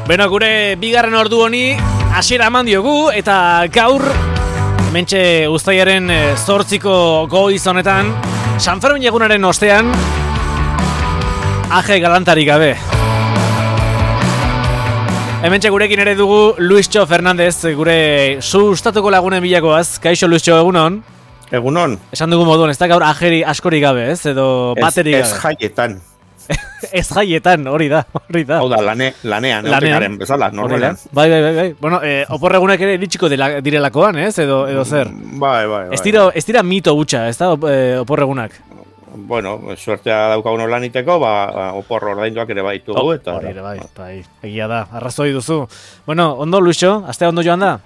Beno, gure bigarren ordu honi hasiera eman diogu eta gaur hementxe uztailaren 8ko goiz honetan San Fermin egunaren ostean aje galantarik gabe. Hementxe gurekin ere dugu Luistxo Fernandez, gure sustatuko lagunen bilakoaz. Kaixo Luistxo, egunon? Egunon. Esan dugu moduan, ez da gaur ajeri askorik gabe, ez? Edo baterik gabe. Ez jaietan. Ez jaietan, hori da. Hau da, lanean. Bezala, normalean. Bai. Bueno, oporregunak ere ditxiko direlakoan, ez? Edo zer? Bai. Ez dira mito gutxa, ez da, oporregunak? Bueno, suertea daukagun lan iteko, oporro ordainduak ere baitugu. Hori ere bai. Egia da, arrazoi duzu. Bueno, ondo, Luixo, astea ondo joan da?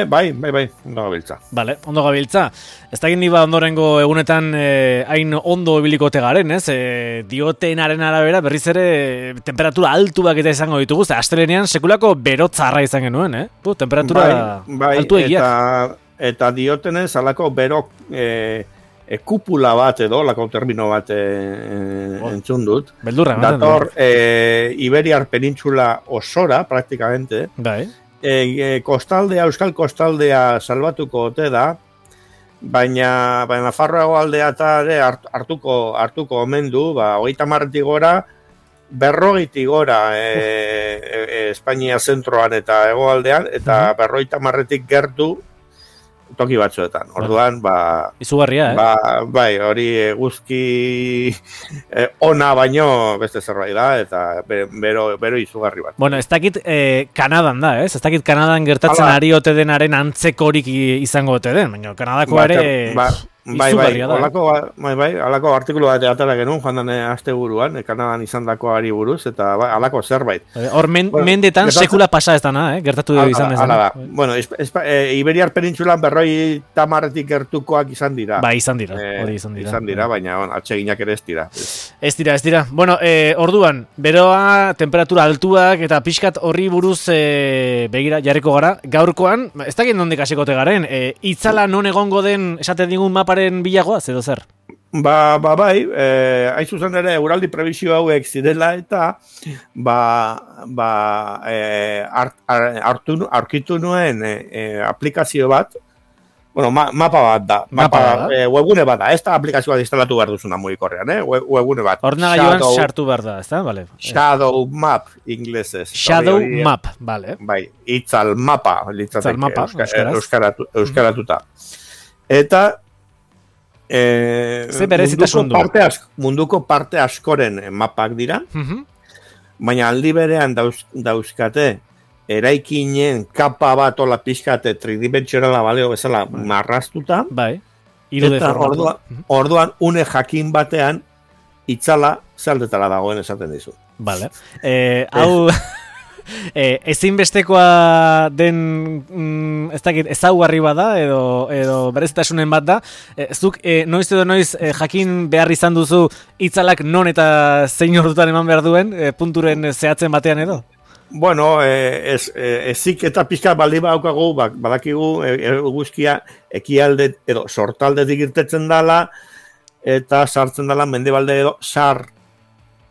Bai, ondo gabiltza. Vale, ondo gabiltza. Ez da gini ondorengo egunetan hain ondo ebilikote garen, ez? Diotenaren arabera berriz ere temperatura altuak eta izango ditugu, astelenean sekulako berotzarra izan genuen, temperatura altu egiak. Eta diotenez alako berok kupula bat edo, lako termino bat entzun dut. Beldurra. Dator Iberiar penintxula osora, praktikamente. Bai. Euskal kostaldea salbatuko ote da, baina Nafarroago aldea eta hartuko omen du, 30 gora, 40 gora Espainia zentroan eta hegoaldean, eta 50 gertu toki batzuetan. Orduan, izugarria, bai, hori guzki ona baino beste zerbait da, eta bero izugarri bat. Bueno, ez dakit Kanadan da, ez? Ez dakit Kanadan gertatzen ari ote denaren antzekorik izango ote den, baina Kanadako ere izugarria da. Alako artikulu bat atara genuen, joan dane aste buruan, Kanadan izandakoari buruz, eta alako zerbait. Hor mendetan sekula pasa ez dana, gertatu izan dezan. Bueno, Iberiar penintxulan 50 gertukoak izan dira. Izan dira, hori izan dira. Izan dira, baina atseginak ere ez dira. Ez dira. Bueno, orduan, beroa, temperatura altuak eta pixkat horri buruz begira jarriko gara. Gaurkoan, ez dakit nondik hasikote garen, itzala non egongo den esaten digun maparen bilagoaz, edo zer? Bai, hain zuzen ere eguraldi prebizio hauek zirela eta aurkitu nuen aplikazio bat. Bueno, mapa bat da. Webgune bat da. Ez da aplikazioa instalatu behar duzuna mugikorrean, webgune bat. Ordenagailuan sartu behar da, ez da? Vale. Shadow Map, inglesez. Shadow Map, vale. Bai, itzal mapa, euskaratuta. Eta munduko parte askoren mapak dira, baina aldi berean dauzkate eraikinen kapa bat ola pixkate tridimentsionala baleo bezala marraztuta. Bai. Eta orduan une jakin batean itzala zaldetara dagoen esaten dizu. Vale. Hau ezinbestekoa den ez dakit ezaugarri bada edo berezitasunen bat da. Zuk noiz edo noiz jakin behar izan duzu itzalak non eta zein ordutan eman behar duen punturen zehatzen batean edo? Bueno, ezik eta pixka baldi badaukagu, badakigu eguzkia ekialde edo sortaldetik irtetzen dala eta sartzen dala mendebalde edo sar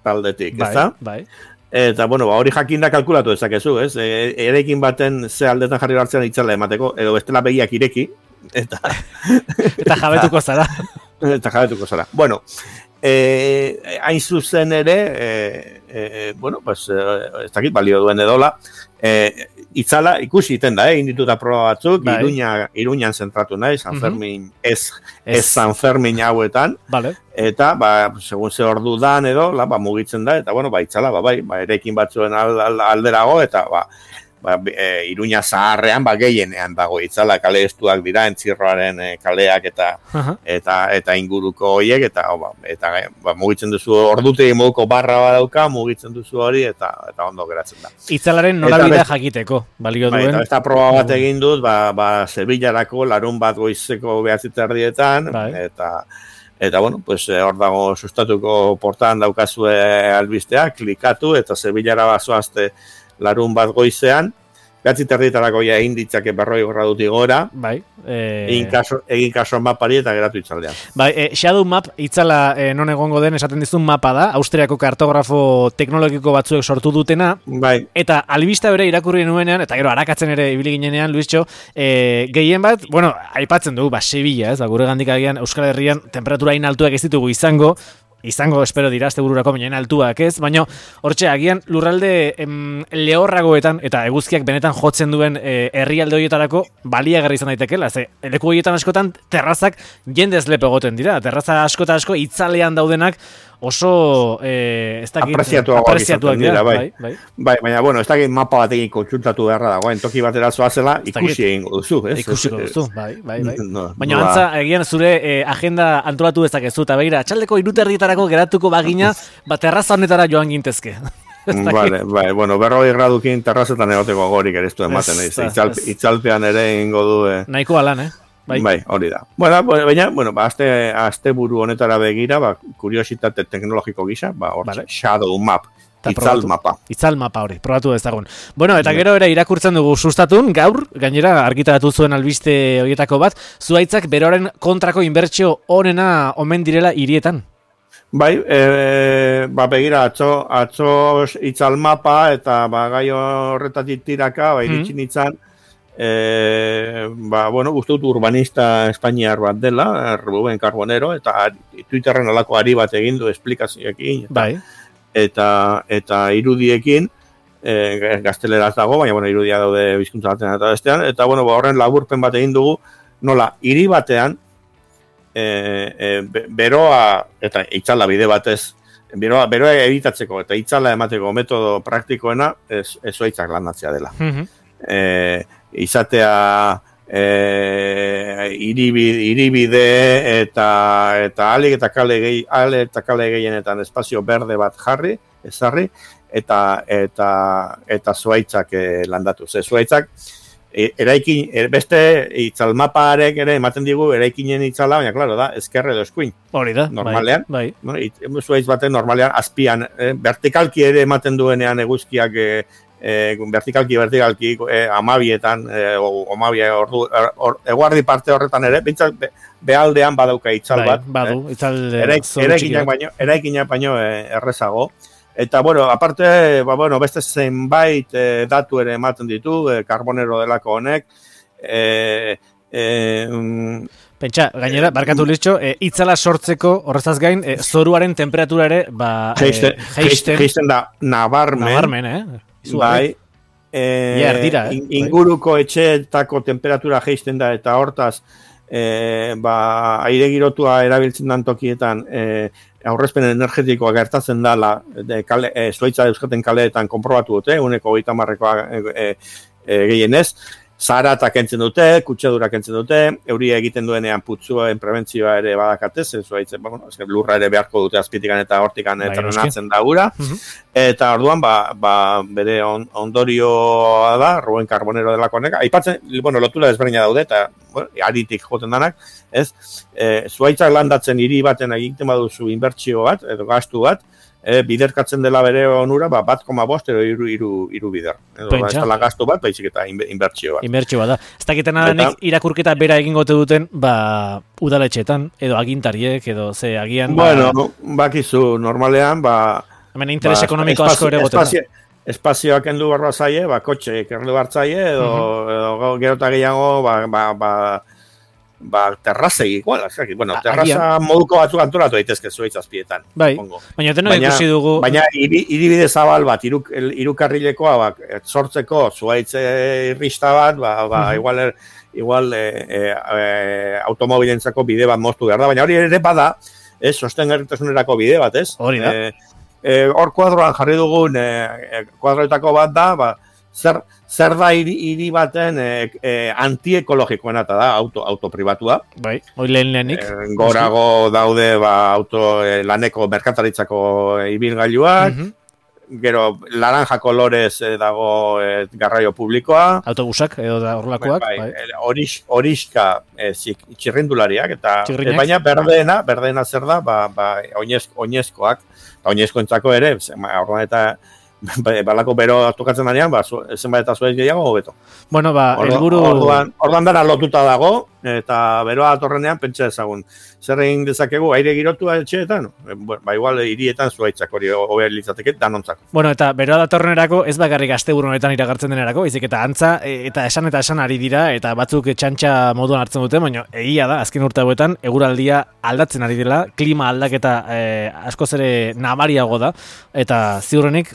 taldetik, ez da? Bai. Eta, bueno, hori jakinda kalkulatu ezakezu, ez? Erekin baten ze aldetan jarri hartzean itzala emateko, edo bestela begiak ireki, eta jabetuko zara. Bueno, hain zuzen ere, bueno, pues, ez dakit balio duen edola, itzala ikusi iten da, indituta proba batzuk, Iruñan zentratu nahi, San Fermin, ez San Fermin hauetan, eta, segun ze ordu dan edo, mugitzen da, eta, bueno, itzala, erekin batzuen alderago, eta, Iruña zaharrean gehienean dago itzala, kale estuak dira, entzirroaren kaleak eta inguruko horiek, eta mugitzen duzu ordutegi moduko barra badauka, mugitzen duzu hori, eta ondo geratzen da. Itzalaren norabidea jakiteko, balio duen. Eta proba bat egin dut, Sevillarako larun bat goizeko 9:30, eta bueno, pues hor dago sustatuko portan daukazue albistea, klikatu, eta Sevillara bazoazte larun bat goizean, terditarako ja egin ditzake 40 gradutik gora, bai, egin kaso mapari eta geratu itzaldean. Bai, Shadow Map itzala non egongo den esaten dizun mapa da, Austriako kartografo teknologiko batzuek sortu dutena, bai. Eta albista bere irakurri nuenean, eta gero arakatzen ere ibili ginenean, Luistxo, gehien bat, bueno, aipatzen dugu, Sevilla, ez, gure gandik agian Euskal Herrian temperatura hain altuak ez ditugu izango, espero dira, azte bururako baina altuak ez, baina hortxe, agian lurralde lehorragoetan eta eguzkiak benetan jotzen duen herrialde horietarako baliagarri izan daitekela, ze leku horietan askotan terrazak jendez lepo egoten dira, terraza asko itzalean daudenak oso apreziatuak dira, bai. Bai, baina, bueno, ez dakit mapa batekin kontsultatu beharra dagoen, toki batera zoazela, ikusi egingo duzu, ez? Ikusiko duzu, bai. Baina antza, egian zure agenda antolatu dezakezu, eta begira, atxaldeko 3:30 geratuko bagina, terraza honetara joan gintezke. Vale, bueno, 40 gradukin terrazetan egoteko gorik ere ez du ematen, itzalpean ere egingo du. Nahiko alan, Bai, hori da. Bueno, aste buru honetara begira, kuriositate teknologiko gisa, hor Shadow Map, itzal mapa hori, probatu dezagun. Bueno, eta gero ere irakurtzen dugu sustatun, gaur, gainera argitaratu zuen albiste horietako bat, zuhaitzak beroaren kontrako inbertsio onena omen direla hirietan. Bai, begira, atzo itzal mapa eta gai horretatik tiraka, iritsi nintzen, uste dut urbanista espainiar bat dela, Ruben Carbonero, eta Twitterren alako ari bat egin du esplikazioekin, eta irudiekin, gazteleraz dago, baina irudia daude bizkuntza batean eta bestean, eta horren laburpen bat egin dugu, nola, hiri batean, beroa, eta itzala bide batez, beroa egitatzeko eta itzala emateko metodo praktikoena, zuhaitzak landatzea dela. Izatea iribide eta alik eta kale gehienetan espazio berde bat ezarri eta zuhaitzak landatu. Zuhaitzak eraikin, beste itzalmaparek ere ematen digu eraikinen itzala, baina klaro da, ezkerre edo eskuin. Hori da, normalean, bai. Zuhaitz baten normalean azpian, vertikalki ere ematen duenean eguzkiak vertikalki, amabietan, eguardi parte horretan ere, behaldean badauka itzal bat. Badu, itzal eraikinak baino errezago. Eta, aparte, beste zenbait datu ere ematen ditu, Carbonero delako honek. Pentsa, gainera, barkatu Liztxo, itzala sortzeko, horrezaz gain, zoruaren temperatura ere, geisten da, nabarmen, Bai, inguruko etxeetako temperatura geisten da, eta hortaz, aire girotua erabiltzen dan tokietan, aurrezpen energetikoa gertatzen dala, zuhaitza euskaten kaleetan konprobatu dute, 130 gehienez, Zarata kentzen dute, kutsadura kentzen dute, euria egiten duenean putzuen prebentzioa ere badakatez, lurra ere beharko dute azpitikan eta hortikan trenatzen da gura. Eta orduan, bere ondorioa da, Ruben Carbonero delako honek. Aipatzen, lotura desberdina daude, eta aritik joten danak, ez? Zuhaitzak landatzen hiri baten egiten baduzu inbertsio bat, edo gastu bat, biderkatzen dela bere onura, 1,5 edo iru bider. Ez dela gastu bat, baizik eta inbertsio bat. Inbertsio bat da. Ez dakiten adanik irakurketa bera egingote duten, udaletxetan, edo agintariek, edo ze agian... Bakizu, normalean, hemen interes ekonomiko asko ere goten. Espazioak endu barba zaie, kotxe errendu bartzaie, edo gerota gehiago, terrazei, terraza moduko batzuk antolatu daitezke zuhaitz azpietan. Bai, baina tenok ikusi dugu... Baina iribide zabal bat, irukarrilekoa, sortzeko zuhaitz irrista bat, igual automobilentzako bide bat moztu behar da, baina hori ere bada, sostengarritasunerako bide bat, ez? Hori da. Hor kuadroan jarri dugun kuadroetako bat da, zer da hiri baten antiekologikoena eta da auto pribatua. Bai, hori lehenik. Gorago daude laneko merkataritzako ibilgailuak, gero laranja kolorez dago garraio publikoa. Autobusak edo da horrelakoak. Horiska txirrindulariak, eta baina berdena zer da, oinezkoak. Oinezkoentzako ere, orduan eta balako bero tokatzen danean, zenbait eta zuez gehiago hobeto. Bueno, helburu... Orduan dara lotuta dago, eta beroa atorrenean pentsa ezagun. Zer egin dezakegu, aire girotua etxeetan? Igual hirietan zuaitzak hori hobe litzateke danontzako. Bueno, eta beroa datorrenerako ez bakarrik asteburu honetan iragartzen denerako, baizik eta antza, eta esan ari dira, eta batzuk txantxa moduan hartzen dute, baina egia da, azken urte hauetan, eguraldia aldatzen ari dela, klima aldaketa askoz ere nabariago da, eta ziurrenik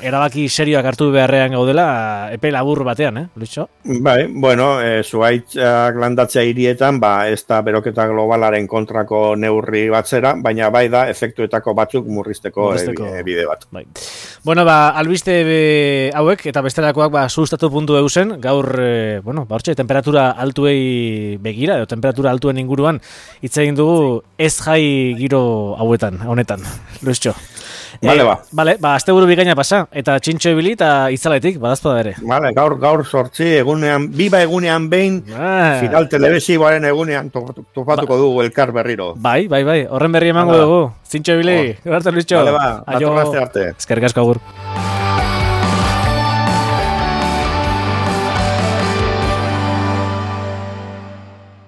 erabaki serioak hartu beharrean gaudela epe labur batean, Lucho? Bai, bueno, zuaitzak landatzea hirietan, ez da beroketa globalaren kontrako neurri batzera, baina bai da efektuetako batzuk murrizteko bide bat. Bai. Bueno, albiste hauek eta bestelakoak sustatu.eusen, gaur, hortxe, temperatura altuei begira, edo temperatura altuen inguruan hitz egin dugu ez jai giro honetan, Luiztxo. Vale, asteburu bikaina pasa, eta txintxo ibili eta itzaletik, badazpada ere. Vale, gaur sortzi, biba egunean behin, final telebisiboaren egunean topatuko dugu elkar berriro. Bai, horren berri emango dugu. Zintxo ibili, gertu Luiztxo. Vale, datorren aste arte. Eskerrik asko agur.